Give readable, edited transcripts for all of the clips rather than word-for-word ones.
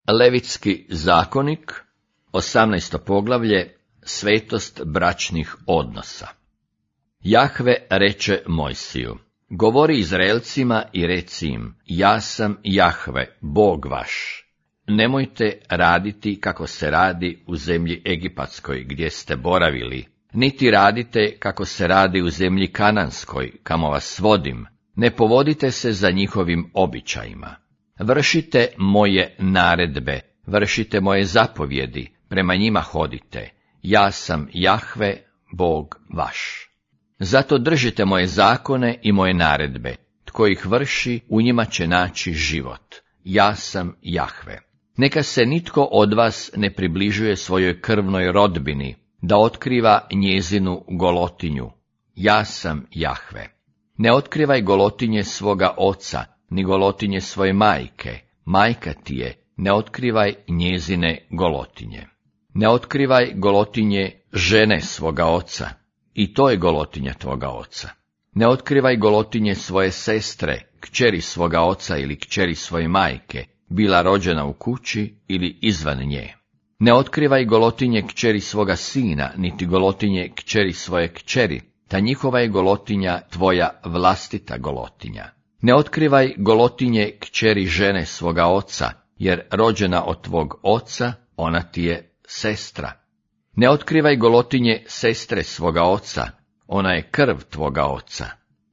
Levitski zakonik, 18. poglavlje, svetost bračnih odnosa. Jahve reče Mojsiju: govori Izraelcima i reci im, ja sam Jahve, Bog vaš. Nemojte raditi kako se radi u zemlji Egipatskoj, gdje ste boravili, niti radite kako se radi u zemlji Kananskoj, kamo vas vodim, ne povodite se za njihovim običajima. Vršite moje naredbe, vršite moje zapovjedi, prema njima hodite, ja sam Jahve, Bog vaš. Zato držite moje zakone i moje naredbe, tko ih vrši, u njima će naći život, ja sam Jahve. Neka se nitko od vas ne približuje svojoj krvnoj rodbini, da otkriva njezinu golotinju, ja sam Jahve. Ne otkrivaj golotinje svoga oca, ni golotinje svoje majke, majka ti je, ne otkrivaj njezine golotinje. Ne otkrivaj golotinje žene svoga oca, i to je golotinja tvoga oca. Ne otkrivaj golotinje svoje sestre, kćeri svoga oca ili kćeri svoje majke, bila rođena u kući ili izvan nje. Ne otkrivaj golotinje kćeri svoga sina, niti golotinje kćeri svoje kćeri, ta njihova je golotinja tvoja vlastita golotinja. Ne otkrivaj golotinje kćeri žene svoga oca, jer rođena od tvog oca, ona ti je sestra. Ne otkrivaj golotinje sestre svoga oca, ona je krv tvoga oca.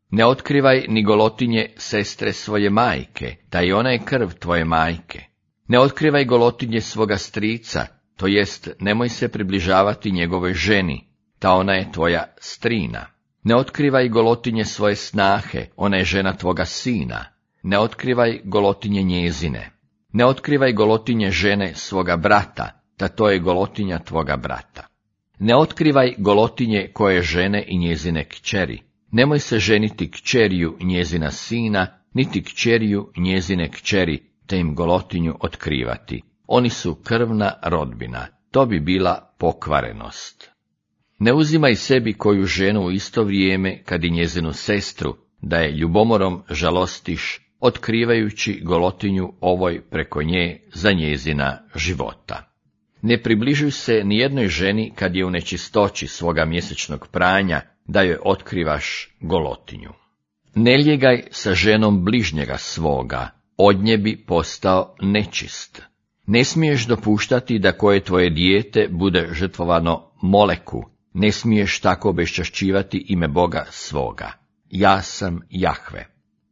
Ne otkrivaj ni golotinje sestre svoje majke, ta i ona je krv tvoje majke. Ne otkrivaj golotinje svoga strica, to jest nemoj se približavati njegovoj ženi, ta ona je tvoja strina. Ne otkrivaj golotinje svoje snahe, ona je žena tvoga sina. Ne otkrivaj golotinje njezine. Ne otkrivaj golotinje žene svoga brata, ta to je golotinja tvoga brata. Ne otkrivaj golotinje koje žene i njezine kćeri. Nemoj se ženiti kćeriju njezina sina, niti kćeriju njezine kćeri, te im golotinju otkrivati. Oni su krvna rodbina, to bi bila pokvarenost. Ne uzimaj sebi koju ženu u isto vrijeme, kad i njezinu sestru, da je ljubomorom žalostiš, otkrivajući golotinju ovoj preko nje za njezina života. Ne približuj se nijednoj ženi kad je u nečistoći svoga mjesečnog pranja, da joj otkrivaš golotinju. Ne lijegaj sa ženom bližnjega svoga, od nje bi postao nečist. Ne smiješ dopuštati da koje tvoje dijete bude žrtvovano Moleku, ne smiješ tako obeščašćivati ime Boga svoga. Ja sam Jahve.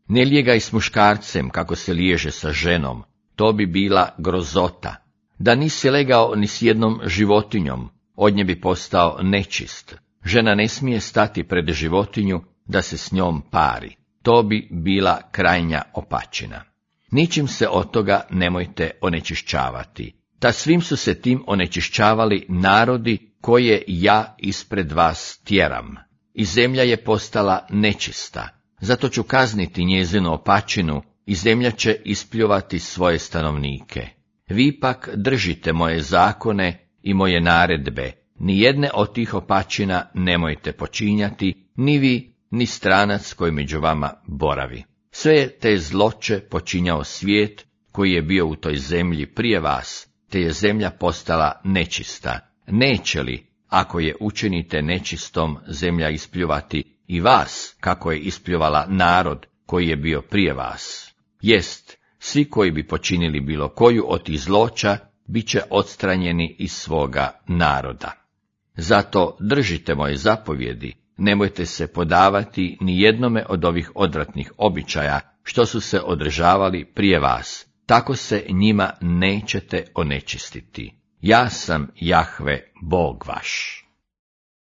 Ne lijegaj s muškarcem kako se liježe sa ženom, to bi bila grozota. Da nisi legao ni s jednom životinjom, od nje bi postao nečist. Žena ne smije stati pred životinju da se s njom pari, to bi bila krajnja opačina. Ničim se od toga nemojte onečišćavati. Ta svim su se tim onečišćavali narodi koje ja ispred vas tjeram. I zemlja je postala nečista, zato ću kazniti njezinu opačinu i zemlja će ispljuvati svoje stanovnike. Vi pak držite moje zakone i moje naredbe, nijedne od tih opačina nemojte počinjati, ni vi, ni stranac koji među vama boravi. Sve je te zloće počinjao svijet koji je bio u toj zemlji prije vas, te je zemlja postala nečista. Neće li, ako je učinite nečistom, zemlja ispljuvati i vas, kako je ispljuvala narod koji je bio prije vas? Jest, svi koji bi počinili bilo koju od tih zloća, bit će odstranjeni iz svoga naroda. Zato držite moje zapovjedi, nemojte se podavati ni jednome od ovih odvratnih običaja, što su se održavali prije vas, tako se njima nećete onečistiti. Ja sam Jahve, Bog vaš.